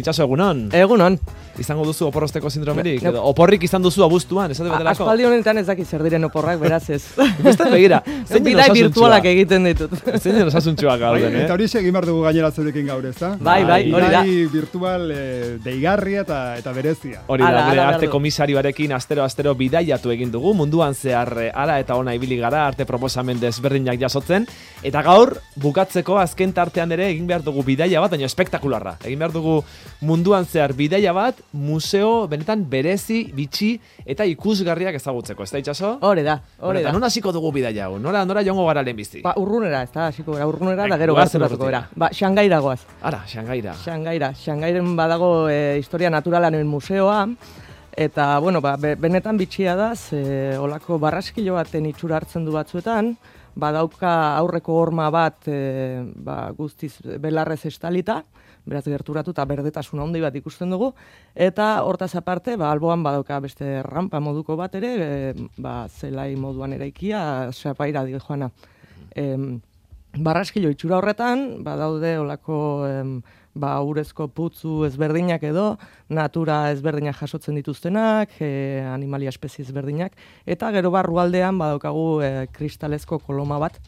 Itxaso, egunon? Egunon. Izango duzu oporrosteko sindromerik? Edo oporrik izan duzu abuztuan, esate baterako? Aspaldi honetan ez dakit zer diren oporrak, beraz ez. Beste begira, zein Bidai virtualak egiten ditut. Zein osasuntxuak gauden, Eta hori egin behar dugu gainera zurekin gaur, ezta? Bai, hori da. Bidai virtual deigarria eta berezia. Hori da, gure arte komisarioarekin astero bidaiatu egin dugu, munduan zehar ara eta ona ibili gara, arte proposamen desberdinak jasotzen, eta gaur bukatzeko azken tartean ere egin behar dugu bidaia bat, baina espektakularra. Egin behar dugu munduan zehar bidaia bat, museo benetan berezi, bitxi eta ikusgarriak ezagutzeko, ez da Itxaso? Hori da. Eta non hasiko dugu bidaia hau? Nora joango gara lehenbizi? Urrunera, ez da, hasiko gara, urrunera da gero gerturatuko gara. Xangaira goaz. Ara, Xangaira. Xangairen badago historia naturalaren museoa, eta, bueno, benetan bitxia da, olako barraskilo baten itxura hartzen du batzuetan, badauka aurreko horma bat guztiz belarrez estalita, beraz gerturatu eta berdetasun handi bat ikusten dugu, eta hortaz aparte, alboan badauka beste rampa moduko bat ere, zelai moduan eraikia, sapaira dio joana. Barraskilo itxura horretan, badaude olako urezko putzu ezberdinak edo, natura ezberdinak jasotzen dituztenak, animalia espezie ezberdinak, eta gero barrualdean badaukagu kristalezko koloma bat,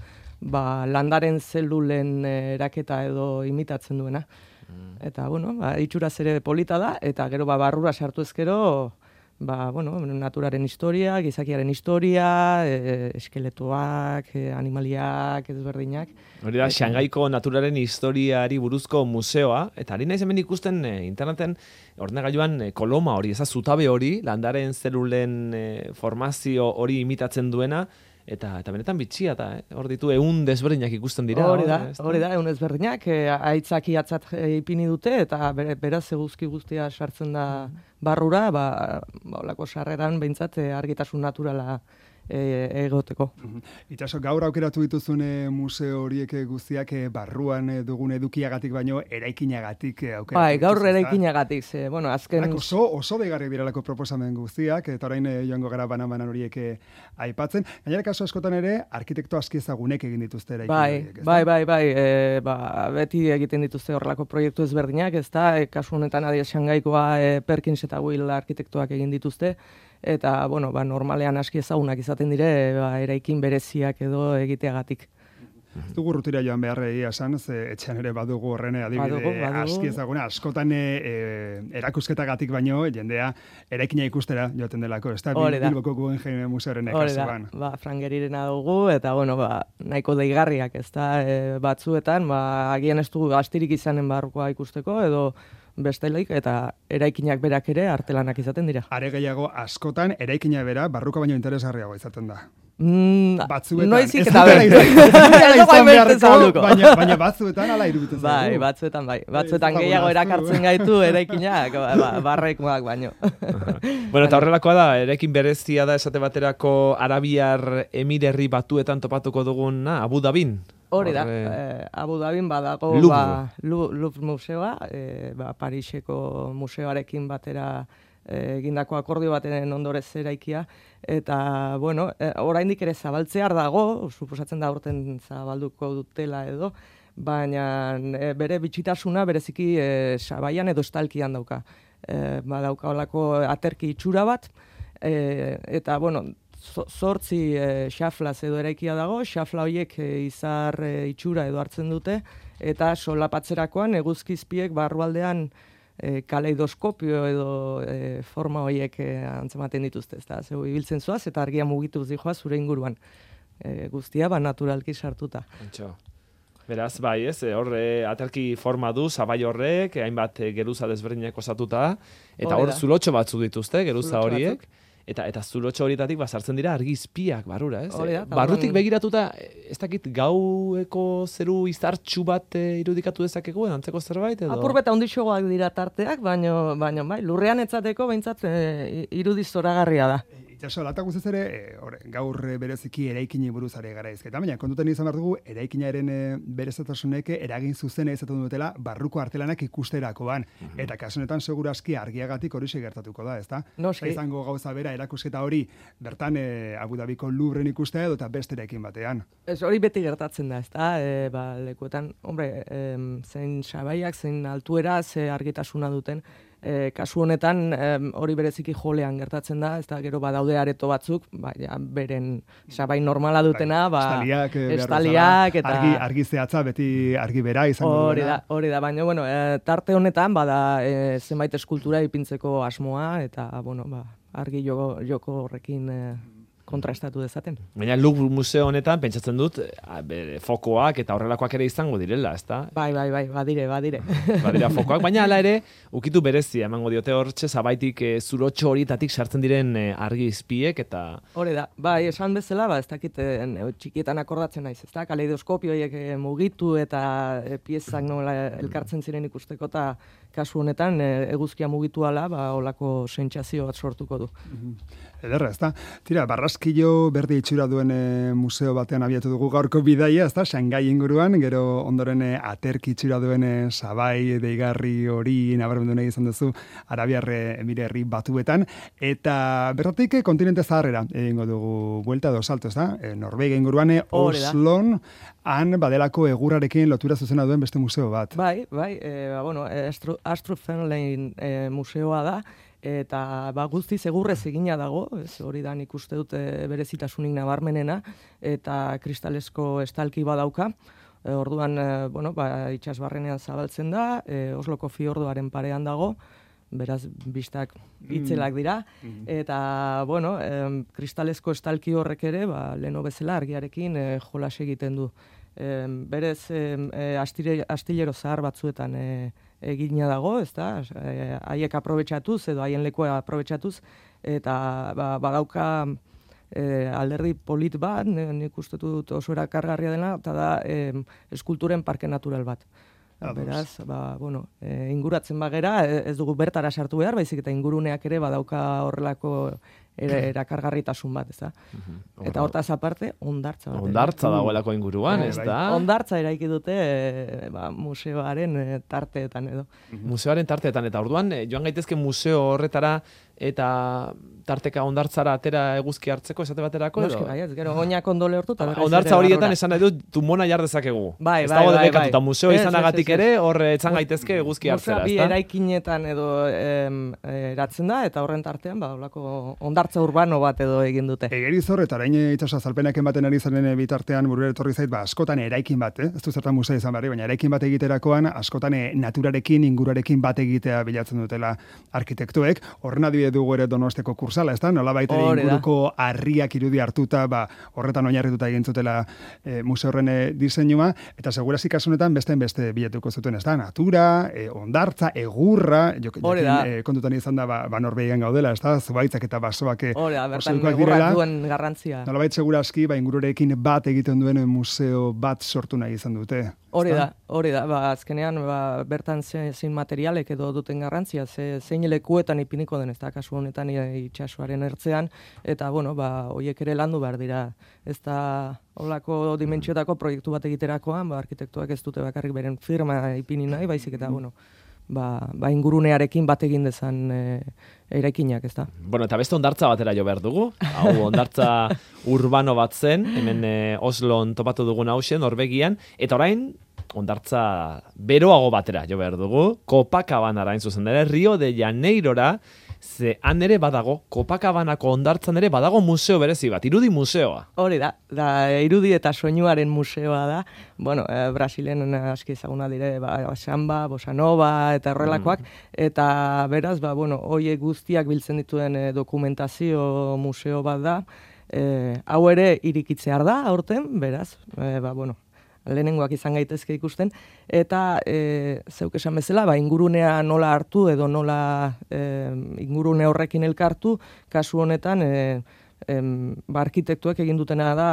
landaren zelulen eraketa edo imitatzen duena. Eta, bueno, itxuraz ere polita da, eta gero barrura sartu ezkero, naturaren historia, gizakiaren historia, eskeletoak, animaliak, ezberdinak. Hori da, Xangaiko naturaren historiari buruzko museoa, eta ari naiz hemen ikusten interneten ordenagailuan koloma hori, zutabe hori, landaren zelulen formazio hori imitatzen duena, eta benetan bitxia, eta hor ditu 100 desberdinak ikusten dira. Hori da, 100 desberdinak, aitzaki atzat ipini dute, eta beraz eguzki guztia sartzen da barrura, olako sarreran behintzat argitasun naturala egoteko. Itxaso, gaur aukeratu dituzun museo horiek guztiak barruan dugun edukiagatik baino eraikinagatik aukeratu. Bai, gaur eraikinagatik, azken... Oso deigarriak direlako proposamen guztiak, eta orain joango gara banan horiek aipatzen. Gainera kasu askotan ere, arkitekto aski ezagunek egin dituzte eraikin horiek. Bai, beti egiten dituzte horrelako proiektu ezberdinak, ez da, kasu honetan adia Xangaikoa Perkins eta Will arkitektoak egin dituzte, eta, normalean aski ezagunak izaten dire, eraikin bereziak edo egiteagatik. Ez dugu rutira joan behar egia esan, etxean ere badugu horren adibide aski ezaguna, askotan erakusketagatik baino, jendea eraikina ikustera joaten delako, ez da, Bilboko Guggenheim museoaren kasuan. Frangerirena dugu, eta, nahiko deigarriak, ez da, batzuetan, agian ez dugu astirik izanen barrukoa ikusteko, edo bestelaik, eta eraikinak berak ere artelanak izaten dira. Are gehiago askotan eraikina bera barruko baino interesgarriago izaten da. Batzuetan. Noizik eta baina batzuetan ala iruditzen zaigu. Batzuetan bai. Batzuetan gehiago erakartzen gaitu eraikinak, barrekoak baino. Eta horrelakoa da, eraikin berezia da esate baterako Arabiar Emirerri Batuetan topatuko dugun Abu Dhabin. Hori da, Abu Dhabin badago Louvre museoa, Pariseko museoarekin batera egindako akordio baten ondorez eraikia, eta, oraindik ere zabaltzear dago, suposatzen da urten zabalduko dutela edo, baina bere bitxitasuna bereziki sabaian edo estalkian dauka. Badauka olako aterki itxura bat, eta, 8 xaflaz edo eraikia dago, xafla horiek izar itxura edo hartzen dute, eta solapatzerakoan eguzkizpiek barrualdean kaleidoskopio edo forma horiek antzematen dituzte, ez da, zeu ibiltzen zoaz, eta argia mugitu zijoa zure inguruan. Guztia, naturalki sartuta. Beraz, bai, ez, horre aterki forma du, zabai horrek, hainbat geruza desberdinak osatuta, eta hor zulotxo batzu dituzte, geruza horiek. Eta zulotxo horietatik sartzen dira argizpiak barrura, ez? Barrutik begiratuta, ez dakit gaueko zeru izartxu bat irudikatu dezakegu, antzeko zerbait edo? Apurbeta ondixoak dira tarteak, baina bai, lurrean etzateko behintzat irudiz zoragarria da. Itxaso, lata guztiz ere, gaur bereziki eraikini buruz ari gara izketa, baina kontutan izan behar dugu, eraikinaren berezatasunek eragin zuzena izaten dutela barruko artelanak ikusterakoan. Eta kasunetan segurazki argiagatik hori gertatuko da, ezta? Noski. Izango gauza bera erakusketa hori bertan Abu Dhabiko Louvren ikustea edo eta besterekin batean. Ez hori beti gertatzen da, ezta? Lekuetan, zein sabaiak, zein altuera, ze argitasuna duten, kasu honetan hori bereziki jolean gertatzen da, ez da gero badaude areto batzuk, beren sabai normala dutena, estaliak eta argi zehatza beti argi bera izango duena. Hori da, baina tarte honetan bada zenbait eskultura ipintzeko asmoa eta argi joko horrekin kontrastatu dezaten. Baina Louvre museo honetan pentsatzen dut fokoak eta horrelakoak ere izango direla, ezta? Bai, badire. Badira fokoak, baina hala ere ukitu berezia emango diote hortxe zabaitik zurotxo horietatik sartzen diren argi izpiek eta hori da. Bai, esan bezala, ez dakit txikietan akordatzen naiz, ezta? Kaleidoskopio horiek mugitu eta piezak nola elkartzen ziren ikusteko eta kasu honetan eguzkia mugitu ala, holako sentsazio bat sortuko du. Ederra, ezta? Tira, Barraskilo berde itxura duen museo batean abiatu dugu gaurko bidaia, ezta? Shanghai inguruan, gero ondoren aterki itxura duen sabai deigarri hori nabarmendu nahi izan duzu Arabiar Emirerri Batuetan, eta bertatik kontinente zaharrera egingo dugu buelta edo salto, ezta? Norvegia inguruan Oslon han badelako egurrarekin lotura zuzena duen beste museo bat. Bai, Astrofenlein museoa da, eta guztiz egurrez egina dago, hori da nik uste dut berezitasunik nabarmenena, eta kristalesko estalki badauka, orduan itsasbarrenean zabaltzen da, Osloko fiordoaren parean dago, beraz bistak itzelak dira, eta kristalesko estalki horrek ere, leheno bezala argiarekin jolas egiten du. Berez astillero zahar batzuetan egina dago, ezta? Haiek aprobetxatuz edo haien lekua aprobetxatuz eta badauka alderdi polit bat, nik uste dut oso erakargarria dela, eta da eskulturen parke natural bat. Beraz, inguratzen bagera, ez dugu bertara sartu behar, baizik eta inguruneak ere badauka horrelako erakargarritasun bat, ezta? Eta hortaz aparte, hondartza bat. Hondartza dagoelako inguruan, ezta? Hondartza eraiki dute museoaren tarteetan edo. Museoaren tarteetan, eta orduan, joan gaitezke museo horretara eta tarteka hondartzara atera eguzki hartzeko esate baterako edo? Noski, gero oinak ondo lehortu eta hondartza horietan esan nahi dut tumona jar dezakegu. Bai. Ez dago debekatuta museo izanagatik ere hor etzan gaitezke eguzki hartzera, ezta? Musea bi eraikinetan edo eratzen da eta horren tartean holako hondartza urbano bat edo egin dute. Egerizor eta orain itsaso azalpenak ematen ari zaren bitartean burura etorri zait, askotan eraikin bat, ez du zertan musea izan berri, baina eraikin bat egiterakoan askotan naturarekin, ingurarekin bat egitea bilatzen dutela arkitektuek. Horren adibide dugu ere Donosteko kursala, ezta? Nolabait ere inguruko harriak irudi hartuta, horretan oinarrituta egin zutela museo horren diseinua, eta segurazki kasu honetan beste bilatuko zuten, ezta? Natura, hondartza, egurra, kontutan izan da Norvegian gaudela, ezta? Zubaitzak eta basoak bertan egurrak duen garrantzia. Nolabait segurazki ingururekin bat egiten duen museo bat sortu nahi izan dute. Hori da, azkenean bertan zein materialek edo duten garrantzia, zein lekuetan ipiniko den, ez da, kasu honetan itsasoaren ertzean, eta, horiek ere landu behar dira. Ez da, holako dimentsiotako proiektu bat egiterakoan, arkitektuak ez dute bakarrik beren firma ipini nahi, baizik eta, ingurunearekin bat egin dezan eraikinak, ez da. Eta beste hondartza batera jo behar dugu. Hau hondartza urbano bat zen, hemen Oslon topatu dugun hausen, Norvegian, eta orain hondartza beroago batera jo behar dugu. Copacabana zuzen dara, Rio de Janeirora, ze han ere badago, Copacabanako hondartzan ere badago museo berezi bat, irudi museoa. Hori da irudi eta soinuaren museoa da. Brasilen aski ezaguna dire, samba, bossa nova eta horrelakoak, eta beraz, horiek guztiak biltzen dituen dokumentazio museo bat da. Hau ere irikitzear da, aurten, beraz, lehenengoak izan gaitezke ikusten, eta zeuk esan bezala, ingurunea nola hartu edo nola ingurune horrekin elkartu, kasu honetan arkitektuek egin dutena da,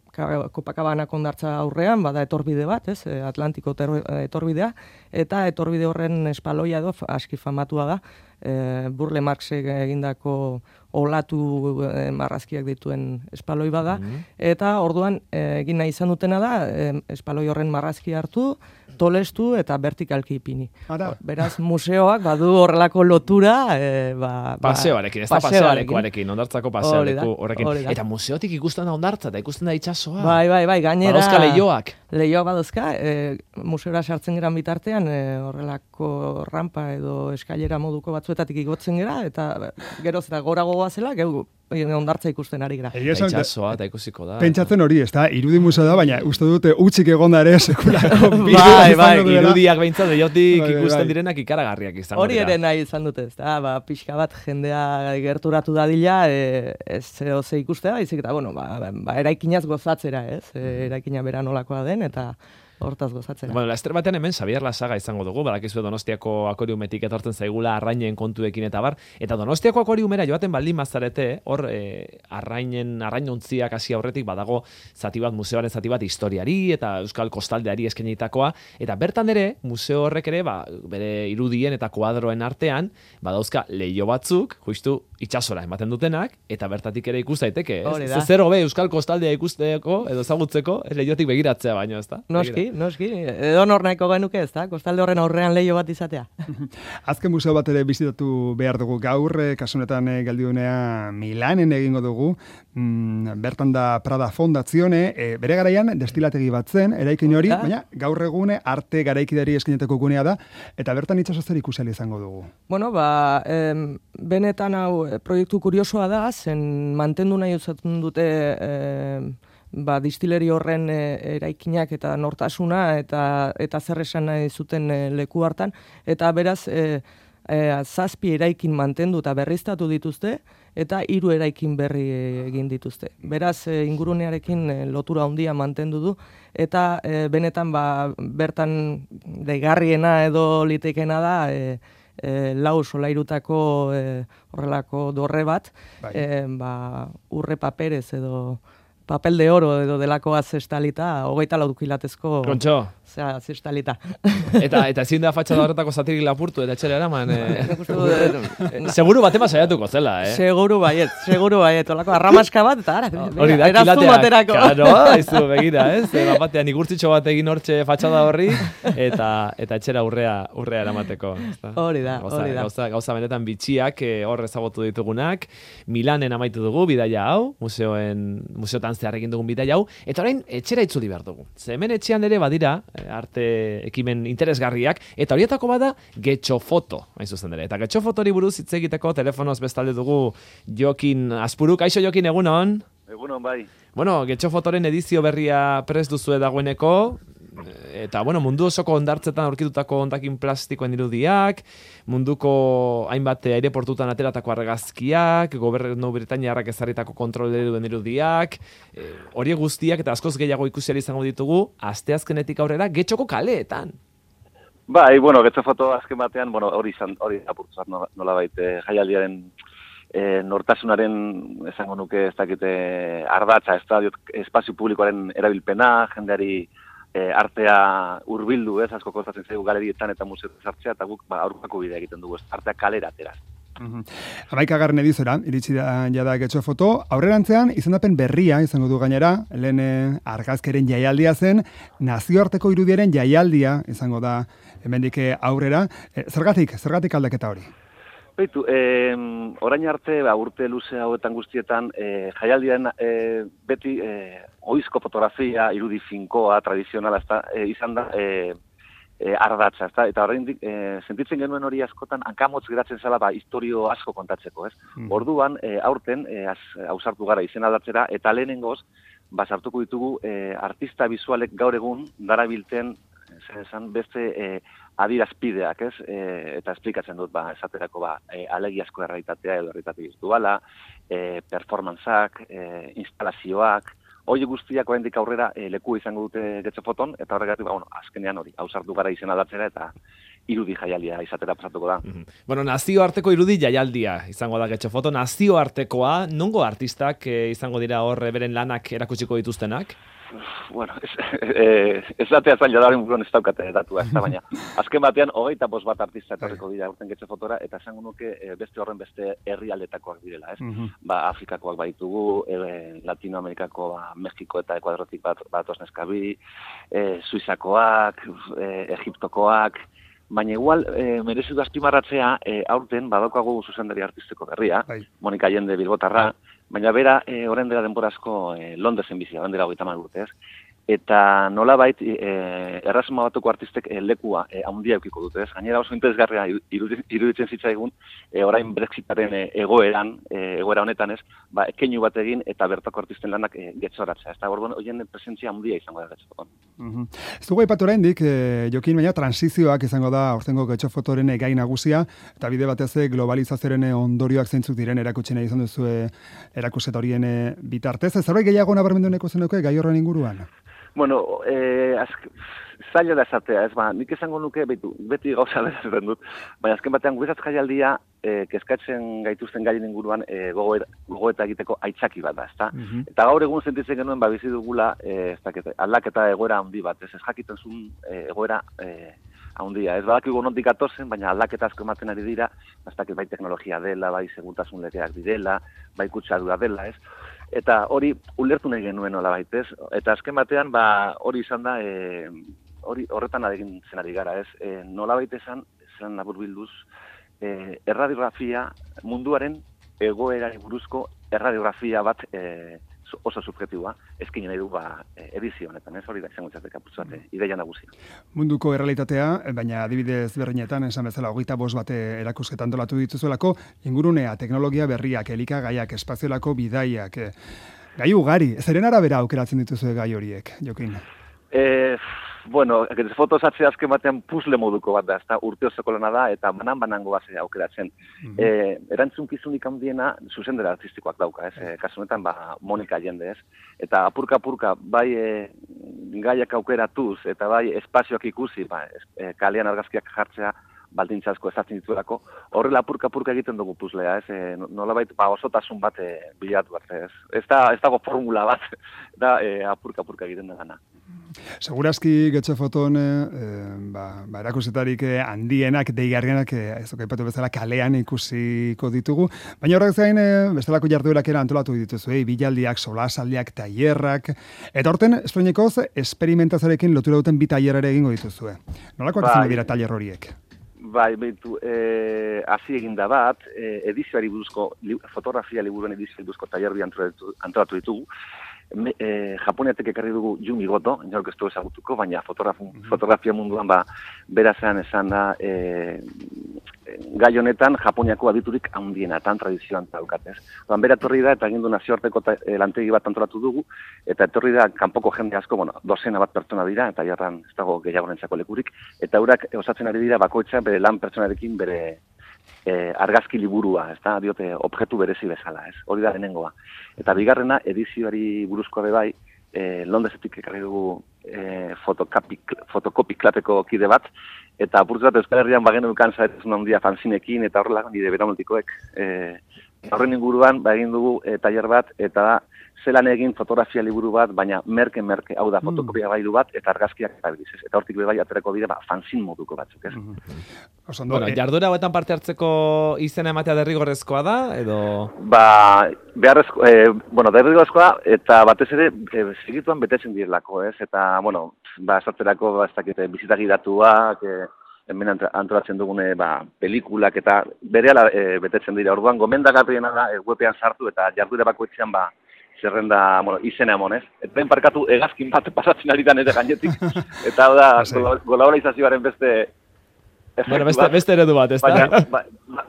Copacabana kondartza aurrean, bada etorbide bat, ez, Atlantiko etorbidea, eta etorbide horren espaloia edo aski famatua da, Burle Marxek egindako olatu marrazkiak dituen espaloi bada, eta orduan egin nahi izan dutena da, espaloi horren marrazki hartu, tolestu eta vertikalki ipini. Beraz, museoak badu horrelako lotura, paseoarekin, ez da paseoarekin, ondartzako paseoareku horrekin. Eta museotik ikusten da ondartza, eta ikusten da itsasoa. Bai, gainera. Badauzka lehioak. Lehioak baduzka, museora sartzen geran bitartean, horrelako rampa edo eskailera moduko batzuetatik igotzen gera, eta geroz eta gorago goazela, geu ondartza ikusten ari gara. Itsasoa eta ikusiko da. Pentsatzen hori, ez da, irudi museo da, baina uste dute utzik egonda ere sekulako. Bai, irudiak behintzat leiotik ikusten direnak ikaragarriak izango dira. Hori ere nahi izan dute, ez da, pixka bat jendea gerturatu dadila, ez ze ikustea, izik eta, eraikinaz gozatzera, ez? Eraikina bera nolakoa den, eta hortaz gozatzera. Bueno, laster batean hemen Xabier Lasaga izango dugu, badakizu Donostiako akoriumetik etortzen zaigula arrainen kontuekin eta bar, eta Donostiako akoriumera joaten baldin bazarete, hor arrainontziak hasi aurretik badago zati bat, museoaren zati bat historiari eta euskal kostaldeari eskainitakoa, eta bertan ere, museo horrek ere, bere irudien eta kuadroen artean, badauzka leiho batzuk, justu itsasora ematen dutenak, eta bertatik ere ikus daiteke, ez? Zer hobe euskal kostaldea ikusteko edo ezagutzeko, leihotik begiratzea baino, ez da? Noski, edo nor nahiko genuke, ez da? Kostalde horren aurrean leiho bat izatea. Azken museo bat ere bizitatu behar dugu gaur, kasunetan geldiunea Milanen egingo dugu, bertan da Prada Fondazione, bere garaian destilategi bat zen, eraikin hori, baina gaur egune arte garaikidari eskainetako gunea da, eta bertan itsasozer ikusial izango dugu. Bueno, benetan hau proiektu kuriosoa da, zen mantendu nahi uzatzen dute distileri horren eraikinak eta nortasuna eta zer esan nahi zuten leku hartan, eta beraz 7 eraikin mantendu eta berriztatu dituzte, eta 3 eraikin berri egin dituzte. Beraz, ingurunearekin lotura handia mantendu du, eta benetan bertan deigarriena edo litekena da, 4 solairutako horrelako dorre bat, urre paperez edo papel de oro edo delakoa zestalita, 24 kilatezko... Kontxo. Zestalita. Eta ezin da fatxada horretako zatirik lapurtu, eta etxera eraman... Seguru batema saiatuko zela, eh? Seguru baiet. Olako arramaska bat, eta ara, hori da, kilateak. Karo, aizu, begira, ez? Batean igurtzitxo bat egin hortxe fatxada horri, eta etxera urrea eramateko. Hori da. Gauza benetan bitxiak hor ezagutu ditugunak. Milanen amaitu dugu, bidaia hau, museotan zehar egin dugun bidaia hau, eta orain etxera itzuli behar dugu. Ze hemen etxean ere badira, arte ekimen interesgarriak, eta horietako bada getxofoto, hain zuzen ere. Eta getxofotori buruz hitz egiteko telefonoz bestalde dugu Jokin Azpuruk. Kaixo Jokin, egunon? Egunon, bai. Bueno, getxofotoren edizio berria prest duzue dagoeneko, eta mundu osoko hondartzetan aurkitutako hondakin plastikoen irudiak, munduko hainbat aireportutan ateratako argazkiak, gobernu britainiarrak ezarritako kontroleruen irudiak, horiek guztiak eta askoz gehiago ikusiari izango ditugu, asteazkenetik aurrera getxoko kaleetan. Bai, getxofoto azken batean, hori apurtzat nolabait jaialdiaren nortasunaren esango nuke ez dakite ardatza, espazio publikoaren erabilpena, jendeari artea hurbildu, ez, asko kostatzen zaigu galerietan eta museoetan sartzea, eta guk aurkako bidea egiten dugu, artea kalera ateraz. 11. ediziora iritsi da jada getxofoto, aurrerantzean izendapen berria izango du gainera, lehen argazkeren jaialdia zen, nazioarteko irudiaren jaialdia izango da hemendik aurrera. Zergatik aldaketa hori? Beitu, orain arte, urte luze hauetan guztietan, jaialdian beti oizko fotografia, irudi finkoa, tradizionala, izan da ardatza, eta orain sentitzen genuen hori askotan hankamotz geratzen zela historio asko kontatzeko, ez? Orduan, aurten, ausartu gara izen aldatzera, eta lehenengoz, sartuko ditugu artista bizualek gaur egun darabilten beste adirazpideak, ez? Eta esplikatzen dut, esaterako, alegiazko errealitatea edo errealitate birtuala, performantzak, instalazioak, hori guztiak oraindik aurrera leku izango dute getxofoton, eta horregatik, azkenean hori, ausartu gara izen aldatzera, irudi jaialdia izatera pasatuko da. Bueno, nazioarteko irudi jaialdia izango da Getxo Foto, nazioartekoa, nongo artistak izango dira hor beren lanak erakutsiko dituztenak? Bueno, ez datea zaila daren buruan ez daukate datua, ez da baina. Azken batean, 25 bat artista etorriko dira urten Getxo Fotora, eta esango nuke beste horren beste herrialdetakoak direla, ez? Afrikakoak baitugu, Latinoamerikako, Mexiko eta Ekuadrotik bat osneskabi, Suizakoak, Egiptokoak, baina igual, merezi du azpimarratzea, aurten badaukagu zuzendari artistiko berria, Monika Allende Bilbotarra, baina bera, orain dela denborazko Londresen bizia, orain dela 30 urte, ez? Eta nolabait Erresuma Batuko artistek lekua handia eukiko dute, ez? Gainera oso interesgarria iruditzen zitzaigun orain Brexitaren egoera honetan, ez? Keinu bat egin eta bertako artisten lanak getxoratzea. Eta orduan hoien presentzia handia izango da Getxo Foton. Ez dugu aipatu oraindik, Jokin, baina transizioak izango da aurtengo Getxo Fotoren gai nagusia, eta bide batez globalizazioaren ondorioak zeintzuk diren erakutsi nahi izan duzu erakusketa horien bitartez. Zerbait gehiago nabarmendu nahiko zenuke gai horren inguruan? Bueno, zaila da esatea, ez nik esango nuke, beti gauza bezaren dut, baina azken batean guretzat jaialdia kezkatzen gaituzten gaien inguruan gogoeta egiteko aitzaki bat da, ezta? Eta gaur egun sentitzen genuen bizi dugula aldaketa egoera handi bat, ez jakiten zuen egoera handia. Ez badakigu nondik atozen, baina aldaketa asko ematen ari dira, bai teknologia dela, bai segurtasun legeak direla, bai kutsadura dela, ez? Eta hori ulertu nahi genuen nolabait, ez? Eta azken batean, hori izan da, horretan adegin zenari gara, ez? Nolabait esan laburbilduz, erradiografia munduaren egoerari buruzko erradiografia bat oso subjektiboa, eskin nahi du edizio honetan, ez hori da izango izateka putzuate, ideia nagusia. Munduko errealitatea, baina adibidez berrinetan, esan bezala 25 bat erakusketan antolatu dituzuelako, ingurunea, teknologia berriak, elikagaiak, espaziolako bidaiak, gai ugari, zeren arabera aukeratzen dituzu gai horiek, Jokin? Bueno, Getxo Foto zatzea azken batean puzle moduko bat da, ez da urte osoko lana da, eta banan-banango bat aukeratzen. Erantzunkizunik handiena zuzendera artistikoak dauka, ez? Kasu honetan, Monika Allende, ez? Eta apurka-apurka, bai gaiak aukeratuz, eta bai espazioak ikusi, kalean argazkiak jartzea, baldintza asko ezatzen dituelako, horrela apurka-apurka egiten dugu puzlea, ez? Nolabait, osotasun bat bilatu arte, ez? Ez dago formula bat, da apurka-apurka egiten da gana. Segurazki Getxo Foton erakusetarik handienak, deigarrienak, ez duk aipatu bezala kalean ikusiko ditugu, baina horrek zain bestelako jarduerak antolatu dituzu, bilaldiak, solasaldiak, tailerrak, eta horten, estroinekoz, esperimentazioarekin lotura duten bi tailerare egingo dituzue. Nolakoak izango dira tailer horiek? Bai, hasi eginda bat, edizioari buruzko, fotografia liburuen edizioari buruzko tailerri antolatu ditugu. Japoniatek ekarri dugu Yumi Goto, inork ez du ezagutuko, baina fotografia munduan berazean esan da gai honetan Japoniako aditurik handienetan tradizioan daukatez. Bera etorri da eta egin du nazioarteko lantegi bat antolatu dugu, eta etorri da kanpoko jende asko, dozena bat pertsona dira, eta jarran ez dago gehiagorentzako lekurik, eta eurak osatzen ari dira bakoitza bere lan pertsonarekin bere argazki liburua, ez da, diote, objektu berezi bezala, ez, hori da lehenengoa. Eta bigarrena, edizioari buruzko bai, Londresetik ekarri dugu fotokopi klateko kide bat, eta apurtu bat Euskal Herrian bagenu kanzaretezun handia fanzinekin, eta horrela, nire beramultikoek, horren inguruan, egin dugu tailer bat, eta da, zelan egin fotografia liburu bat, baina merke, hau da, fotokopia bailu bat, eta argazkiak erabiliz, ez? Eta hortik bai aterako dira, fanzin moduko batzuk, ez? Bueno, jarduera hauetan parte hartzeko izena ematea derrigorrezkoa da, edo? Derrigorrezkoa, eta batez ere, segituan betetzen direlako, ez? Eta, esaterako, bizitagi datuak, hemen antolatzen dugune pelikulak, eta berehala betetzen dira. Orduan, gomendagarriena da, webean sartu, eta jarduera bakoitzean, zerrenda, izena emonez. Eta parkatu egazkin bat pasatzen ari dan ere gainetik. Eta da, globalizazioaren beste beste eredu bat, ez da?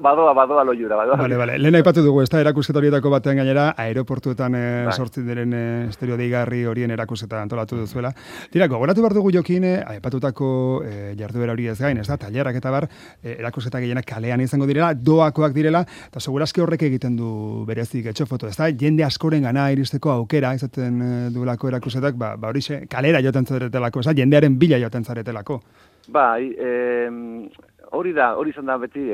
Badoa loiura. Vale. Lehen aipatu dugu, ez da, erakusketa horietako batean gainera, aeroportuetan sortzen diren estereo deigarri horien erakusketa antolatu duzuela. Tira, gogoratu behar dugu Jokin, aipatutako jarduera hori ez gain, ez da, tailerrak eta bar, erakusketa gehienak kalean izango direla, doakoak direla, eta segurazki horrek egiten du berezik Getxo Foto, ez da, jende askoren gana iristeko aukera, izaten duelako erakusketak, horixe, kalera joten zaretelako, ez da, jendearen bila joten zaretelako. Bai, hori izan da beti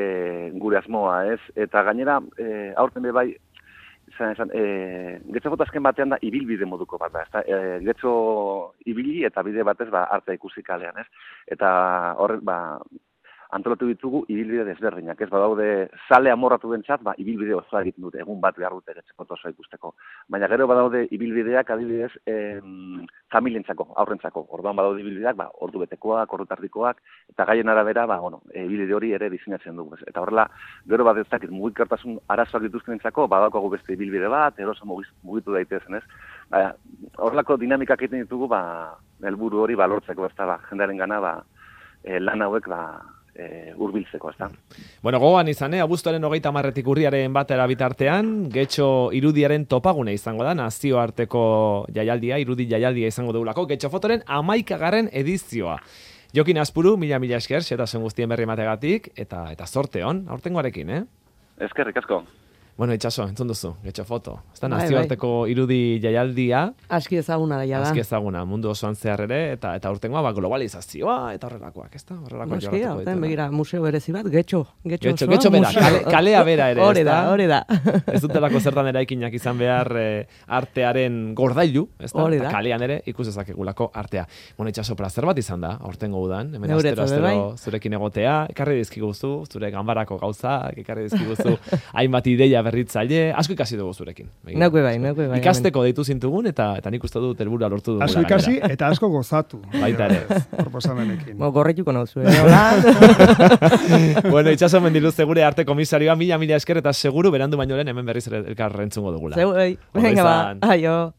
gure asmoa, ez? Eta gainera, aurten bai, getxo foto azken batean da ibilbide moduko bat da, getxo ibili eta bide batez artea ikusi kalean, ez? Eta horrek, antolatu ditugu ibilbide desberdinak, ez badaude zale amorratu bentsat, ibilbide osoa egiten dute, egun bat behar dute getxo foto osoa ikusteko. Baina gero badaude ibilbideak adibidez familientzako, aurrentzako. Orduan badaude ibilbideak, ordu betekoak, ordu tardikoak, eta gaien arabera, ibilbide hori ere diseinatzen dugu. Eta horrela, gero bat ez dakit mugikortasun arazoak dituzkenentzako, badaukagu beste ibilbide bat, eroso mugitu daitezen, ez? Horrelako dinamikak egiten ditugu, helburu hori lortzeko, ez da, jendearen gana, lan hauek, hurbiltzeko, ez da. Bueno, gogoan izan, abuztuaren 30 urriaren batera bitartean, getxo irudiaren topagune izango da, nazioarteko jaialdia, irudi jaialdia izango dugulako, getxo fotoren 11. edizioa. Jokin Azpuru, mila esker, xetasun guztien berri emategatik, eta zorte hon, aurtengoarekin, Eskerrik asko. Bueno, Itxaso, entzun duzu, getxo foto. Ez da nazioarteko irudi jaialdia. Aski ezaguna da, Aski ezaguna, mundu osoan zehar ere, eta urtengoa globalizazioa, eta horrelakoak, ez da? Horrelakoak jorratuko ditu. Noski, begira, museo berezi bat, getxo bera, kalea bera ere, ez da? Hori da. Ez dutelako zertan eraikinak izan behar artearen gordailu, ez da? Eta kalean ere ikusezakegulako artea. Bueno, Itxaso, plazer bat izan da, aurtengo udan, hemen astero zurekin egotea, ekarri dizkiguzu, zure ganbarako gauzak, ekarri dizkiguzu hainbat ideia berritzaile, asko ikasi dugu zurekin. Neuke bai. Ikasteko deitu zintugun, eta nik uste dut helburua lortu dugu. Asko ikasi eta asko gozatu. Baita ere. Proposamenekin. Gorrituko nauzu, Bueno, Itxaso Mendiluzte gure arte komisarioa, mila esker, eta seguru berandu baino lehen hemen berriz elkar entzungo dugula. Venga, aio.